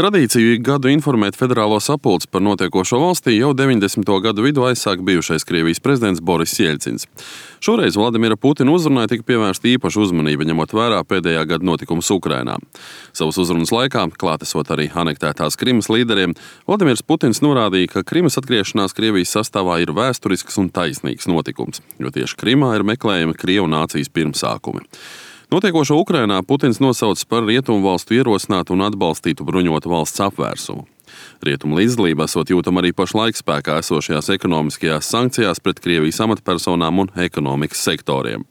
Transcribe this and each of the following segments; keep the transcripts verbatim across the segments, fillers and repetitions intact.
Tradīciju ik gadu informēt federālo sapulci par notiekošo valstī jau deviņdesmito gadu vidū aizsāk bijušais Krievijas prezidents Boris Jeļcins. Šoreiz Vladimira Putina uzrunai tika pievērsta īpaša uzmanība, ņemot vērā pēdējā gada notikumus Ukrainā. Savas uzrunas laikā, klātesot arī anektētās Krimas līderiem, Vladimirs Putins norādīja, ka Krimas atgriešanās Krievijas sastāvā ir vēsturisks un taisnīgs notikums, jo tieši Krimā ir meklējami Krievu nācijas pirmsākumi. Notiekošo Ukrainā Putins nosauc par rietumu valstu ierosinātu un atbalstītu bruņotu valsts apvērsumu. Rietumu līdzdalība esot jūtama arī pašlaik spēkā esošajās ekonomiskajās sankcijās pret Krievijas amatpersonām un ekonomikas sektoriem.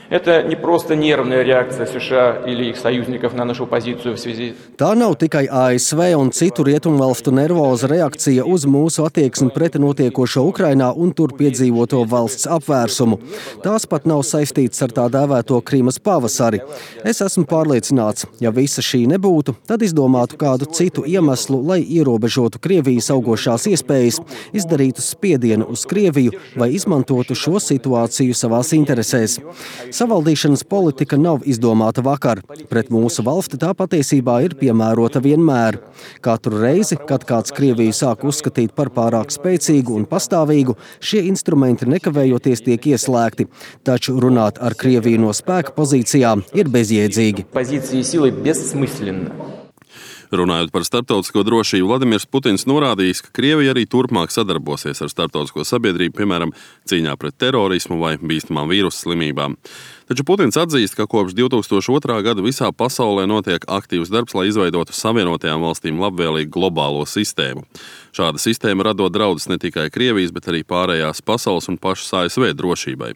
Это не просто нервная реакция США или их союзников на нашу позицию в связи. Tā nav tikai A S V un citu rietumvalstu nervoza reakcija uz mūsu attieksmi pret notiekošo Ukrainā un tur piedzīvoto valsts apvērsumu. Tās pat nav saistīts ar tā dēvēto Krimas pavasari. Es esmu pārliecināts, ja visa šī nebūtu, tad izdomātu kādu citu iemeslu, lai ierobežotu Krievijas augošās iespējas, izdarītu spiedienu uz Krieviju vai izmantotu šo situāciju savās interesēs. Savaldīšanas politika nav izdomāta vakar. Pret mūsu valsti tā patiesībā ir piemērota vienmēr. Katru reizi, kad kāds Krieviju sāk uzskatīt par pārāk spēcīgu un pastāvīgu, šie instrumenti nekavējoties tiek ieslēgti. Taču runāt ar Krieviju no spēka pozīcijām ir bezjēdzīgi. Runājot par starptautisko drošību, Vladimirs Putins norādījis, ka Krievija arī turpmāk sadarbosies ar starptautisko sabiedrību, piemēram, cīņā pret terorismu vai bīstamām vīrusu slimībām. Taču Putins atzīst, ka kopš divi tūkstoši otrā gada visā pasaulē notiek aktīvs darbs, lai izveidotu Savienotajām valstīm labvēlīgu globālo sistēmu. Šāda sistēma radot draudus ne tikai Krievijas, bet arī pārējās pasaules un pašas A S V drošībai,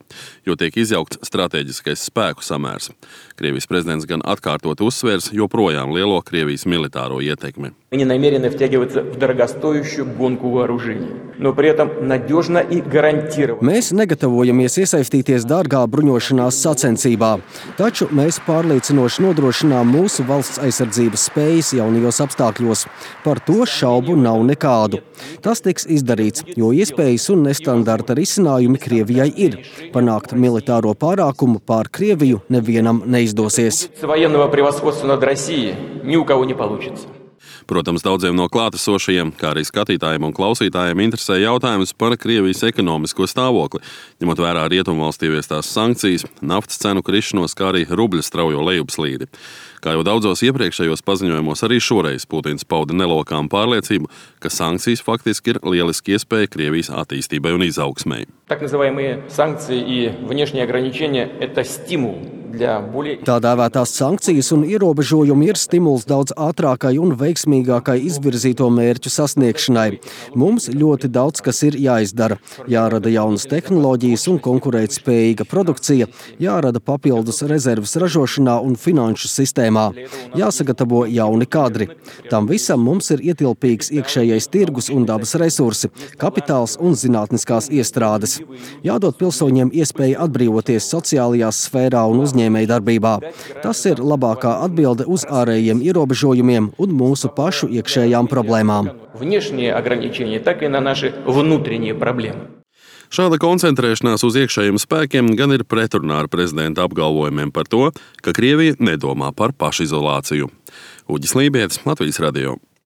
jo tiek izjaukts strateģiskais spēku samērs. Krievijas prezidents gan atkārtot uzsvērs joprojām lielo Krievijas militāro ietekmi. Они намерены втягиваться в дорогостоящую гонку вооружений, но при этом надежно и гарантированно. Mēs negatavojamies iesaistīties dārgā bruņošanās sacensībā, taču mēs pārliecinoši nodrošinām mūsu valsts aizsardzības spējas jaunajos apstākļos. Par to šaubu nav nekādu. Tas tiks izdarīts, jo iespējas un nestandarta risinājumi Krievijai ir. Panākt militāro pārākumu pār Krieviju nevienam neizdosies. Военного превосходства над Россией ни у кого не получится. Protams, daudziem no klātesošajiem, kā arī skatītājiem un klausītājiem interesē jautājums par Krievijas ekonomisko stāvokli, ņemot vērā rietumvalstu ieviestās sankcijas, naftas cenu krišanos, kā arī rubļa straujo lejupslīdi. Kā jau daudzos iepriekšējos paziņojumos, arī šoreiz Putins pauda nelokām pārliecību, ka sankcijas faktiski ir lieliski iespēja Krievijas attīstībai un izaugsmei. Так называемые санкции и внешние ограничения – это стимул для более... Tā dēvētās sankcijas un ierobežojumi ir stimuls daudz ātrākai un veiksmīgākai izvirzīto mērķu sasniegšanai. Mums ļoti daudz kas ir jāizdara. Jārada jaunas tehnoloģijas un konkurētspējīga produkcija, jārada papildus rezerves ražošanā un finanšu sistēmā. Jāsagatavo jauni kadri. Tam visam mums ir ietilpīgs iekšējais tirgus un dabas resursi, kapitāls un zinātniskās iestrādes. Jādod pilsoņiem iespēja atbrīvoties sociālajās sfērā un uzņēmēju darbībā. Tas ir labākā atbilde uz ārējiem ierobežojumiem un mūsu pašu iekšējām problēmām. Внешние ограничения, так и на наши внутренние проблемы. Šāda koncentrēšanās uz iekšējiem spēkiem gan ir pretrunā ar prezidenta apgalvojumiem par to, ka Krievija nedomā par pašizolāciju. Uģis Lībietis, Latvijas radio.